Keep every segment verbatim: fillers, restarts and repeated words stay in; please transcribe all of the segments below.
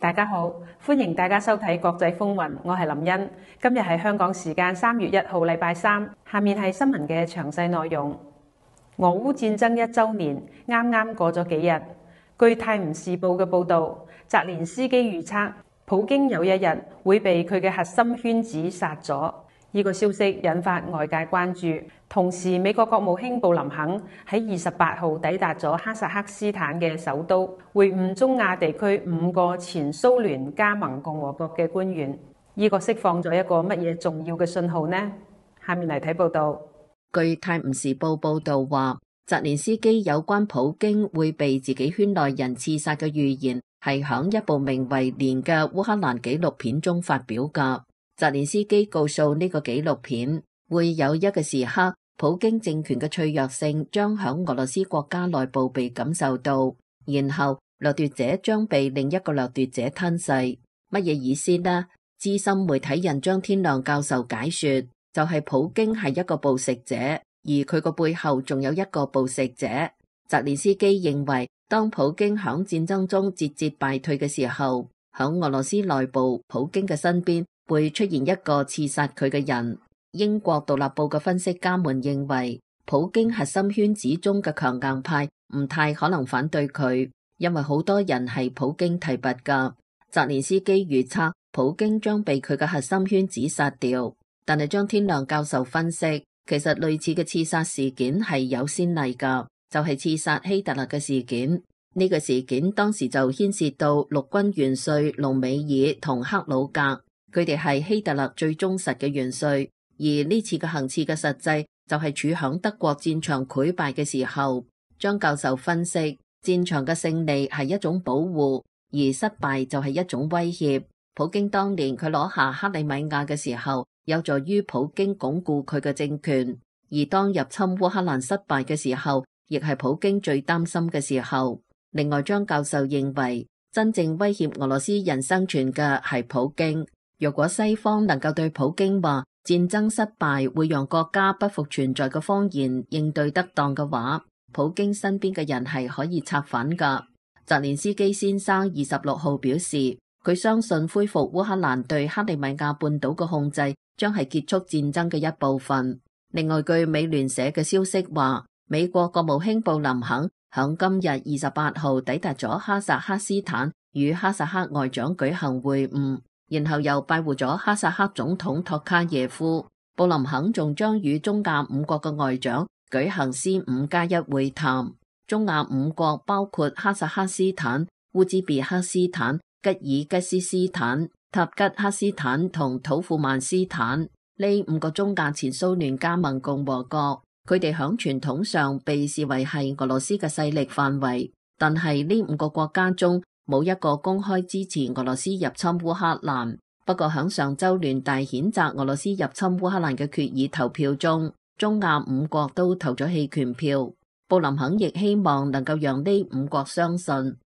大家好，歡迎大家收睇國際風雲，我係林茵。今日係香港時間三月一號，禮拜三。下面係新聞嘅詳細內容。俄烏戰爭一週年，啱啱過咗幾日。據泰晤士報嘅報導，澤連斯基預測普京有一日會被佢嘅核心圈子殺咗。呢個消息引發外界關注。同時，美國國務卿布林肯喺二十八號抵達咗哈薩克斯坦嘅首都，會晤中亞地區五個前蘇聯加盟共和國嘅官員。呢個釋放咗一個乜嘢重要嘅信號呢？下面嚟睇報道。據泰晤士報報導話，澤連斯基有關普京會被自己圈內人刺殺嘅預言係響一部名為《年》嘅烏克蘭紀錄片中發表㗎。澤連斯基告訴呢個紀錄片，會有一個時刻，普京政權嘅脆弱性將響俄羅斯國家內部被感受到，然後掠奪者將被另一個掠奪者吞噬。乜嘢意思呢？資深媒體人張天亮教授解說，就係、是、普京係一個暴食者，而佢個背後仲有一個暴食者。澤連斯基認為，當普京響戰爭中節節敗退嘅時候，響俄羅斯內部，普京嘅身邊會出現一個刺殺佢嘅人。英國獨立報嘅分析家們認為，普京核心圈子中嘅強硬派唔太可能反對佢，因為好多人係普京提拔噶。澤連斯基預測普京將被佢嘅核心圈子殺掉，但係張天亮教授分析，其實類似嘅刺殺事件係有先例噶，就係、是、刺殺希特勒嘅事件。呢、這個事件當時就牽涉到陸軍元帥隆美爾同克魯格，佢哋係希特勒最忠實嘅元帥。而呢次嘅行刺嘅實際就係處響德國戰場潰敗嘅時候。張教授分析，戰場嘅勝利係一種保護，而失敗就係一種威脅。普京當年佢攞下克里米亞嘅時候，有助於普京鞏固佢嘅政權，而當入侵烏克蘭失敗嘅時候，亦係普京最擔心嘅時候。另外，張教授認為，真正威脅俄羅斯人生存嘅係普京。若果西方能夠對普京話戰爭失敗會讓國家不復存在嘅謊言應對得當嘅話，普京身邊嘅人係可以策反噶。澤連斯基先生二十六號表示，佢相信恢復烏克蘭對克里米亞半島嘅控制將係結束戰爭嘅一部分。另外，據美聯社嘅消息話，美國國務卿布林肯響今日二十八號抵達咗哈薩克斯坦，與哈薩克外長舉行會晤。然後又拜會咗哈薩克總統托卡耶夫。布林肯仲將與中亞五國嘅外長舉行 C 五加一會談。中亞五國包括哈薩克斯坦、烏茲別克斯坦、吉爾吉斯斯坦、塔吉克斯坦同土庫曼斯坦。呢五個中亞前蘇聯加盟共和國，佢哋響傳統上被視為係俄羅斯嘅勢力範圍，但係呢五個國家中冇一個公開支持俄羅斯入侵烏克蘭。不過響上週聯大譴責俄羅斯入侵烏克蘭嘅決議投票中，中亞五國都投咗棄權票。布林肯亦希望能夠讓呢五國相信，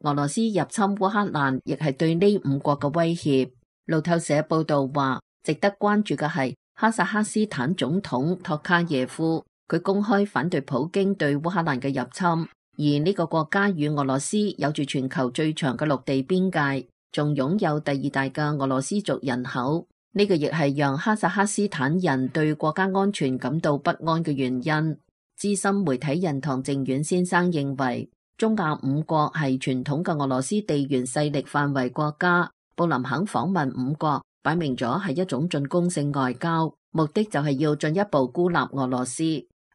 俄羅斯入侵烏克蘭亦係對呢五國嘅威脅。路透社報道話，值得關注嘅係哈薩克斯坦總統托卡耶夫，佢公開反對普京對烏克蘭嘅入侵。而呢個國家與俄羅斯有住全球最長嘅陸地邊界，仲擁有第二大嘅俄羅斯族人口。呢個亦係讓哈薩克斯坦人對國家安全感到不安嘅原因。資深媒體人唐靖遠先生認為，中亞五國係傳統嘅俄羅斯地緣勢力範圍國家。布林肯訪問五國，擺明咗係一種進攻性外交，目的就係要進一步孤立俄羅斯。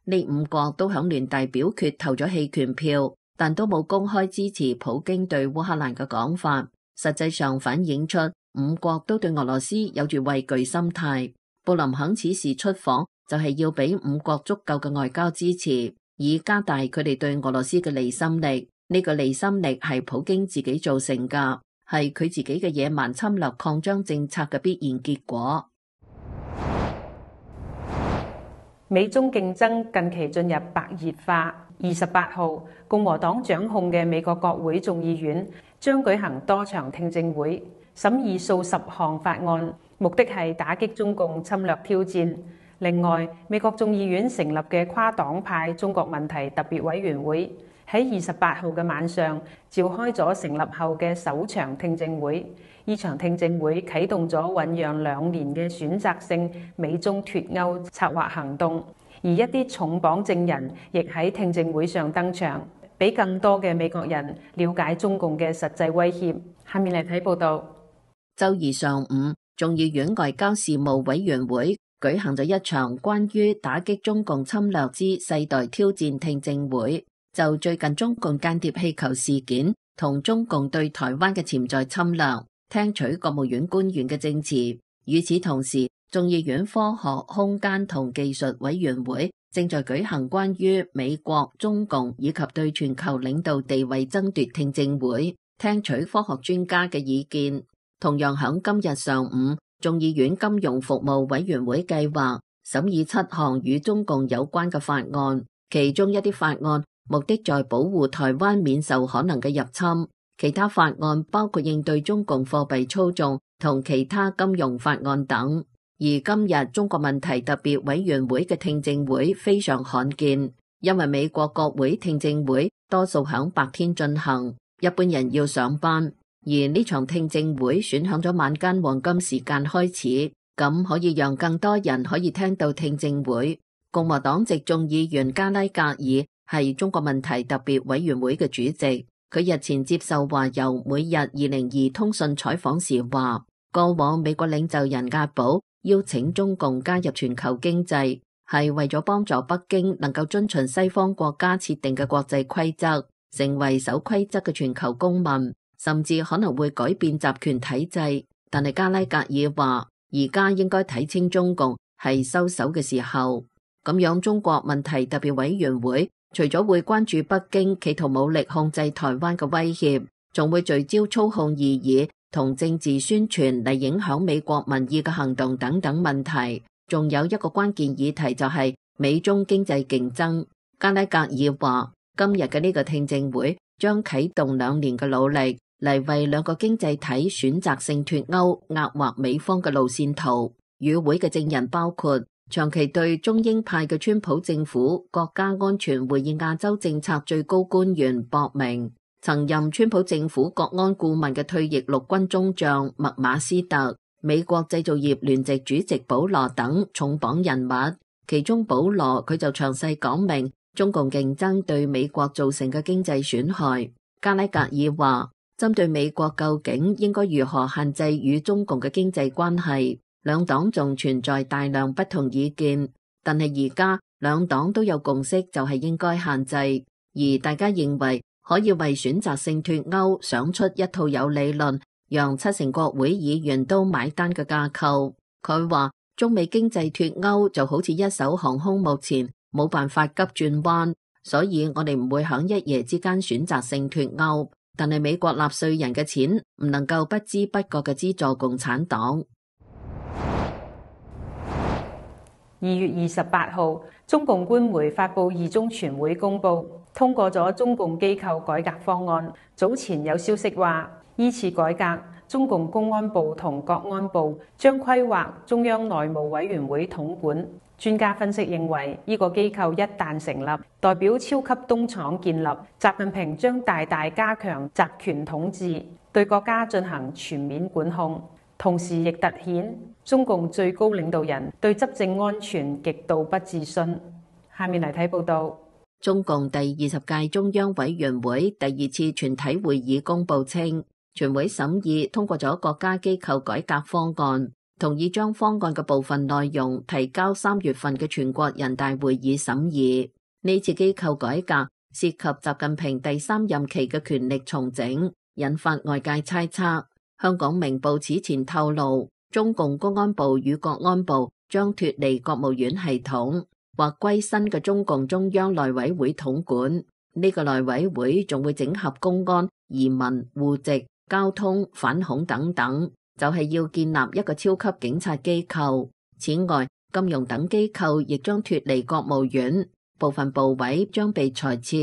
呢五國都響聯大表決投咗棄權票，但都冇公開支持普京對烏克蘭嘅講法，實際上反映出五國都對俄羅斯有住畏懼心態。布林肯此時出訪就係要俾五國足夠嘅外交支持，以加大佢哋對俄羅斯嘅離心力。呢個離心力係普京自己造成㗎，係佢自己嘅野蠻侵略擴張政策嘅必然結果。美中競爭近期進入白熱化。二十八號，共和黨掌控嘅美國國會眾議院將舉行多場聽證會，審議數十項法案，目的係打擊中共侵略挑戰。另外，美國眾議院成立嘅跨黨派中國問題特別委員會喺二十八號嘅晚上召開咗成立後嘅首場聽證會。呢場聽證會啟動咗醖釀兩年嘅選擇性美中脫歐策劃行動，而一啲重磅證人亦喺聽證會上登場，俾更多嘅美國人了解中共嘅實際威脅。下面嚟睇報道。週二上午，眾議院外交事務委員會舉行咗一場關於打擊中共侵略之世代挑戰聽證會，就最近中共間諜氣球事件同中共對台灣嘅潛在侵略，聽取國務院官員嘅證詞。與此同時，眾議院科學、空間同技術委員會正在舉行關於美國、中共以及對全球領導地位爭奪聽證會，聽取科學專家嘅意見。同樣響今日上午，眾議院金融服務委員會計劃審議七項與中共有關嘅法案，其中一啲法案目的在保護台灣免受可能嘅入侵，其他法案包括應對中共貨幣操縱同其他金融法案等。而今日中國問題特別委員會嘅聽證會非常罕見，因為美國國會聽證會多數響白天進行，一般人要上班。而呢場聽證會選響咗晚間黃金時間開始，咁可以讓更多人可以聽到聽證會。共和黨籍眾議員加拉格爾係中國問題特別委員會嘅主席，佢日前接受華郵每日二零二通訊採訪時話，過往美國領袖人格堡邀請中共加入全球經濟，係為咗幫助北京能夠遵循西方國家設定嘅國際規則，成為守規則嘅全球公民。甚至可能會改變集權體制，但係加拉格爾話，而家應該睇清中共係收手嘅時候。咁樣中國問題特別委員會除咗會關注北京企圖武力控制台灣嘅威脅，仲會聚焦操控異議同政治宣傳嚟影響美國民意嘅行動等等問題。仲有一個關鍵議題就係美中經濟競爭。加拉格爾話，今日嘅呢個聽證會將啟動兩年嘅努力，嚟為兩個經濟體選擇性脫歐壓劃美方嘅路線圖。與會嘅證人包括長期對中英派嘅川普政府國家安全會議亞洲政策最高官員博明，曾任川普政府國安顧問嘅退役陸軍中將麥馬斯特，美國製造業聯席主席保羅等重磅人物。其中保羅佢就詳細講明中共競爭對美國造成嘅經濟損害。加拉格爾話，針對美國究竟應該如何限制與中共嘅經濟關係，兩黨仲存在大量不同意見，但係而家兩黨都有共識，就係應該限制，而大家認為可以為選擇性脫歐想出一套有理論，讓七成國會議員都買單嘅架構。佢話中美經濟脫歐就好似一艘航空母艦，冇辦法急轉彎，所以我哋唔會響一夜之間選擇性脫歐。但係美國納稅人嘅錢唔能夠不知不覺嘅資助共產黨。二月二十八號，中共官媒發布二中全會公佈，通過咗中共機構改革方案。早前有消息話，依次改革，中共公安部同國安部將規劃中央內務委員會統管。專家分析認為，呢個機構一旦成立，代表超級東廠建立，習近平將大大加強集權統治，對國家進行全面管控，同時亦突顯中共最高領導人對執政安全極度不自信。下面嚟睇報道。中共第二十屆中央委員會第二次全體會議公佈稱，全會審議通過咗國家機構改革方案，同意將方案嘅部分內容提交三月份嘅全國人大會議審議。呢次機構改革涉及習近平第三任期嘅權力重整，引發外界猜測。香港明報此前透露，中共公安部與國安部將脫離國務院系統，或歸新嘅中共中央內委會統管。呢個內委會仲會整合公安、移民、戶籍、交通、反恐等等，就係要建立一個超級警察機構。此外，金融等機構亦將脫離國務院，部分部委將被裁撤。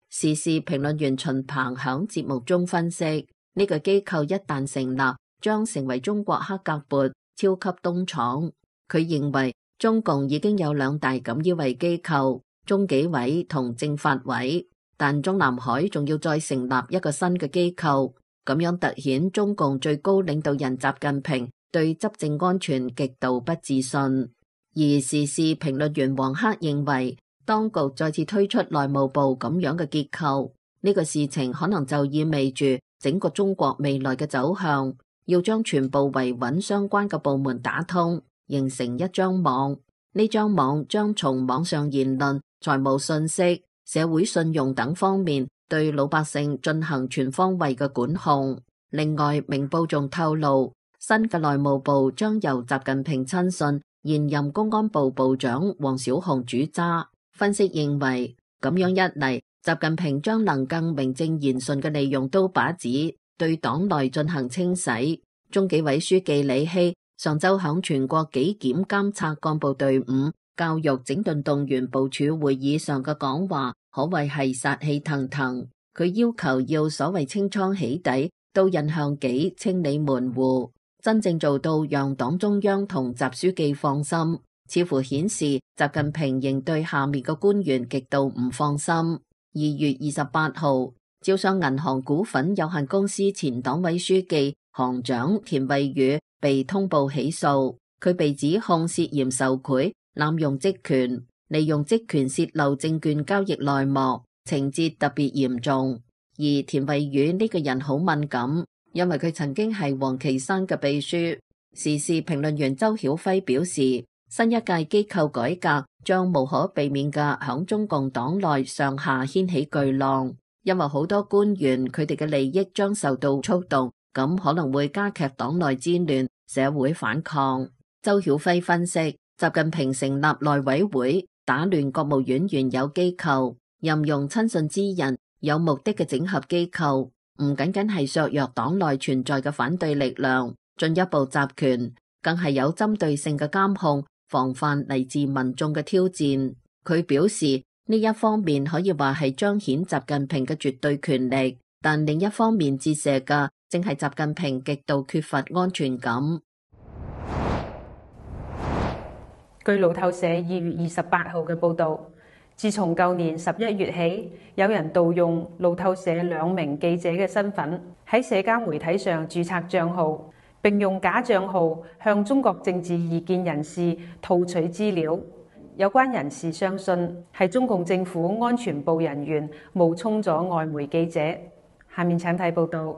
時事評論員秦鵬響節目中分析，呢個機構一旦成立，將成為中國黑格勃超級東廠。佢認為中共已經有兩大錦衣衛機構，中紀委同政法委，但中南海仲要再成立一個新嘅機構，咁樣凸顯中共最高領導人習近平對執政安全極度不自信。而時事評論員黃克認為，當局再次推出內務部咁樣嘅結構，呢個事情可能就意味住整個中國未來嘅走向，要將全部維穩相關嘅部門打通，形成一張網。呢張網將從網上言論、財務信息、社會信用等方面對老百姓進行全方位嘅管控。另外，明報仲透露，新嘅內務部將由習近平親信、現任公安部部長王小洪主揸。分析認為，咁樣一嚟，習近平將能更名正言順嘅利用刀把子，對黨內進行清洗。中紀委書記李希上週響全國紀檢監察幹部隊伍教育整頓動員部署會議上嘅講話，可謂係殺氣騰騰。佢要求要所謂清倉起底、刀刃向紀、清理門戶，真正做到讓黨中央同習書記放心。似乎顯示習近平仍對下面嘅官員極度唔放心。二月二十八號，招商銀行股份有限公司前黨委書記、行長田惠宇被通報起訴，佢被指控涉嫌受賄、濫用職權、利用職權洩漏證券交易內幕，情節特別嚴重。而田惠宇呢個人好敏感，因為佢曾經係王岐山嘅秘書。時事評論員周曉輝表示，新一屆機構改革將無可避免嘅響中共黨內上下掀起巨浪，因為好多官員佢哋嘅利益將受到觸動，咁可能會加劇黨內戰亂、社會反抗。周曉輝分析，習近平成立內委會，打亂國務院原有機構，任用親信之人，有目的嘅整合機構，唔僅僅係削弱黨內存在嘅反對力量，進一步集權，更係有針對性嘅監控。防範嚟自民眾嘅挑戰。佢表示，呢一方面可以話係彰顯習近平嘅絕對權力，但另一方面折射嘅正係習近平極度缺乏安全感。據路透社二月二十八號嘅報導，自從舊年十一月起，有人盜用路透社兩名記者嘅身份，喺社交媒體上註冊帳號，並用假帳號向中國政治異見人士套取資料。有關人士相信係中共政府安全部人員冒充咗外媒記者。下面請睇報道。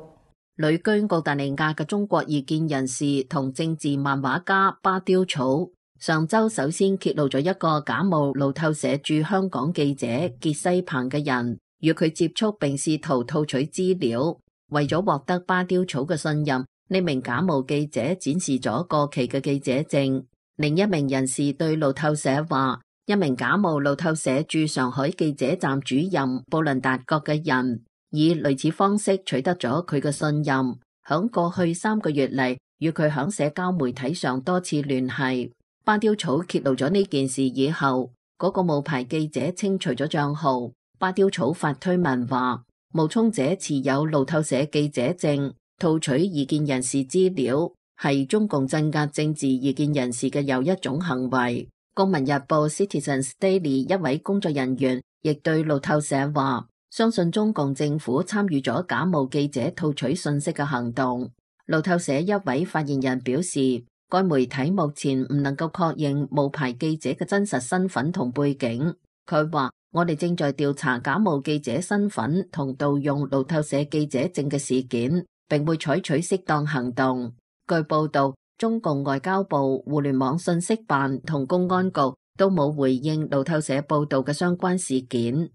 旅居澳大利亞嘅中國異見人士同政治漫畫家巴丟草，上週首先揭露咗一個假冒路透社駐香港記者傑西鵬嘅人，與佢接觸並試圖套取資料。為咗獲得巴丟草嘅信任，呢名假冒記者展示咗過期嘅記者證。另一名人士對路透社話，一名假冒路透社駐上海記者站主任布倫達國嘅人，以類似方式取得咗佢嘅信任，響過去三個月嚟，與佢響社交媒體上多次聯繫。巴丟草揭露咗呢件事以後，嗰、那個冒牌記者清除咗賬號。巴丟草發推文話，冒充者持有路透社記者證，套取異見人士資料，係中共鎮壓政治異見人士嘅又一種行為。公民日報 Citizens Daily 一位工作人員亦對路透社話，相信中共政府參與咗假冒記者套取信息嘅行動。路透社一位發言人表示，該媒體目前唔能夠確認冒牌記者嘅真實身份同背景。佢話，我哋正在調查假冒記者身份同盜用路透社記者證嘅事件，並會採取適當行動。據報道，中共外交部、互聯網信息辦同公安局都冇回應路透社報道嘅相關事件。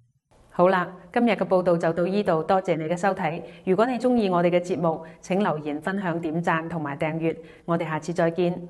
好啦，今日嘅報道就到呢度，多謝你嘅收睇。如果你中意我哋嘅節目，請留言、分享、點讚同埋訂閱。我哋下次再見。